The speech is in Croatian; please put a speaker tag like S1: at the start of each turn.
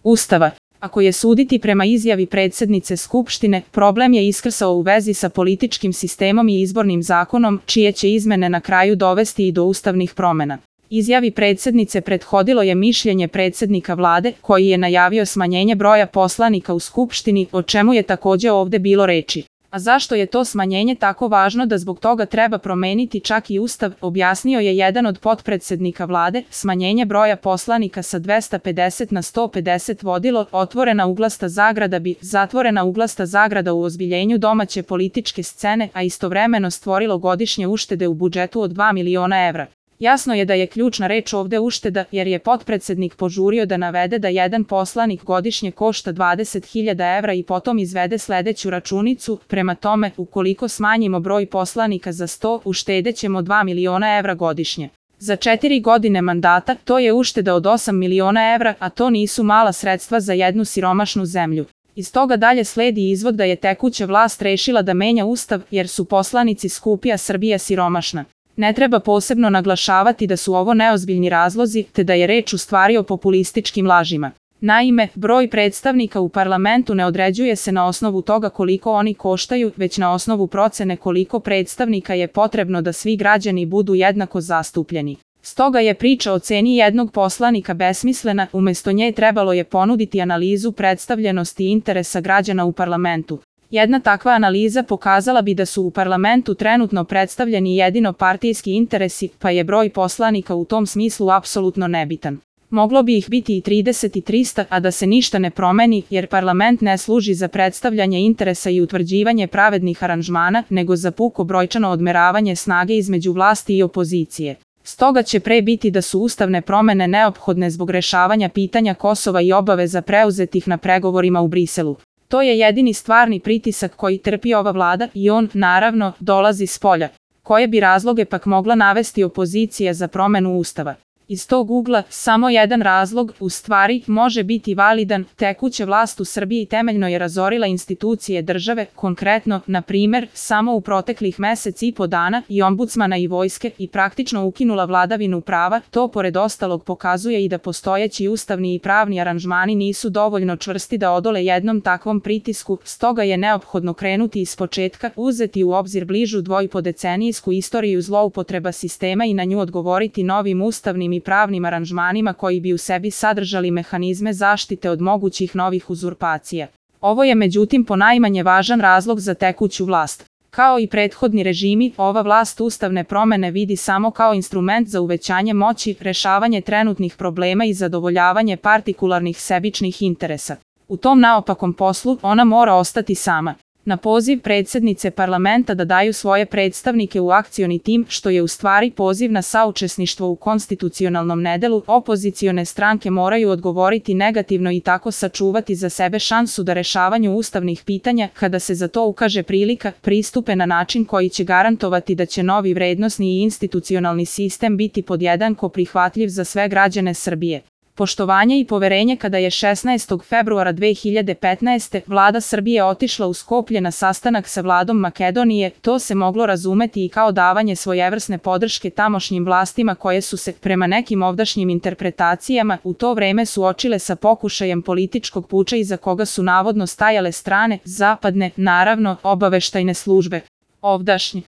S1: Ustava. Ako je suditi prema izjavi predsjednice Skupštine, problem je iskrsao u vezi sa političkim sistemom i izbornim zakonom, čije će izmene na kraju dovesti i do ustavnih promjena. Izjavi predsjednice prethodilo je mišljenje predsjednika vlade, koji je najavio smanjenje broja poslanika u Skupštini, o čemu je također ovdje bilo reči. A zašto je to smanjenje tako važno da zbog toga treba promeniti čak i Ustav, objasnio je jedan od potpredsjednika vlade. Smanjenje broja poslanika sa 250 na 150 vodilo otvorena uglasta zagrada bi zatvorena uglasta zagrada u ozbiljenju domaće političke scene, a istovremeno stvorilo godišnje uštede u budžetu od 2 miliona evra. Jasno je da je ključna reč ovdje ušteda, jer je potpredsjednik požurio da navede da jedan poslanik godišnje košta 20.000 evra i potom izvede sljedeću računicu. Prema tome, ukoliko smanjimo broj poslanika za 100, uštedećemo 2 miliona evra godišnje. Za 4 godine mandata to je ušteda od 8 miliona evra, a to nisu mala sredstva za jednu siromašnu zemlju. Iz toga dalje slijedi izvod da je tekuća vlast rešila da menja Ustav, jer su poslanici skupi, a Srbija siromašna. Ne treba posebno naglašavati da su ovo neozbiljni razlozi, te da je reč u stvari o populističkim lažima. Naime, broj predstavnika u parlamentu ne određuje se na osnovu toga koliko oni koštaju, već na osnovu procene koliko predstavnika je potrebno da svi građani budu jednako zastupljeni. Stoga je priča o ceni jednog poslanika besmislena, umjesto nje trebalo je ponuditi analizu predstavljenosti i interesa građana u parlamentu. Jedna takva analiza pokazala bi da su u parlamentu trenutno predstavljeni jedino partijski interesi, pa je broj poslanika u tom smislu apsolutno nebitan. Moglo bi ih biti i 30 i 300, a da se ništa ne promeni, jer parlament ne služi za predstavljanje interesa i utvrđivanje pravednih aranžmana, nego za puko brojčano odmeravanje snage između vlasti i opozicije. Stoga će pre biti da su ustavne promjene neophodne zbog rešavanja pitanja Kosova i obaveza preuzetih na pregovorima u Briselu. To je jedini stvarni pritisak koji trpi ova vlada i on, naravno, dolazi spolja. Koje bi razloge pak mogla navesti opozicija za promjenu Ustava? Iz tog ugla, samo jedan razlog, u stvari, može biti validan. Tekuća vlast u Srbiji temeljno je razorila institucije države, konkretno, na primjer, samo u proteklih mjesec i po dana, i ombudsmana i vojske, i praktično ukinula vladavinu prava. To pored ostalog pokazuje i da postojeći ustavni i pravni aranžmani nisu dovoljno čvrsti da odole jednom takvom pritisku, stoga je neophodno krenuti iz početka, uzeti u obzir bližu dvojpodecenijsku istoriju zloupotreba sistema i na nju odgovoriti novim ustavnim i pravnim aranžmanima koji bi u sebi sadržali mehanizme zaštite od mogućih novih uzurpacija. Ovo je međutim ponajmanje važan razlog za tekuću vlast. Kao i prethodni režimi, ova vlast ustavne promjene vidi samo kao instrument za uvećanje moći, rešavanje trenutnih problema i zadovoljavanje partikularnih sebičnih interesa. U tom naopakom poslu ona mora ostati sama. Na poziv predsjednice parlamenta da daju svoje predstavnike u akcioni tim, što je u stvari poziv na saučesništvo u konstitucionalnom nedelu, opozicione stranke moraju odgovoriti negativno i tako sačuvati za sebe šansu da rešavanju ustavnih pitanja, kada se za to ukaže prilika, pristupe na način koji će garantovati da će novi vrednosni i institucionalni sistem biti podjednako prihvatljiv za sve građane Srbije. Poštovanje i poverenje. Kada je 16. februara 2015. vlada Srbije otišla u Skoplje na sastanak sa vladom Makedonije, to se moglo razumeti i kao davanje svojevrsne podrške tamošnjim vlastima koje su se, prema nekim ovdašnjim interpretacijama, u to vreme suočile sa pokušajem političkog puča iza koga su navodno stajale strane, zapadne, naravno, obaveštajne službe. Ovdašnji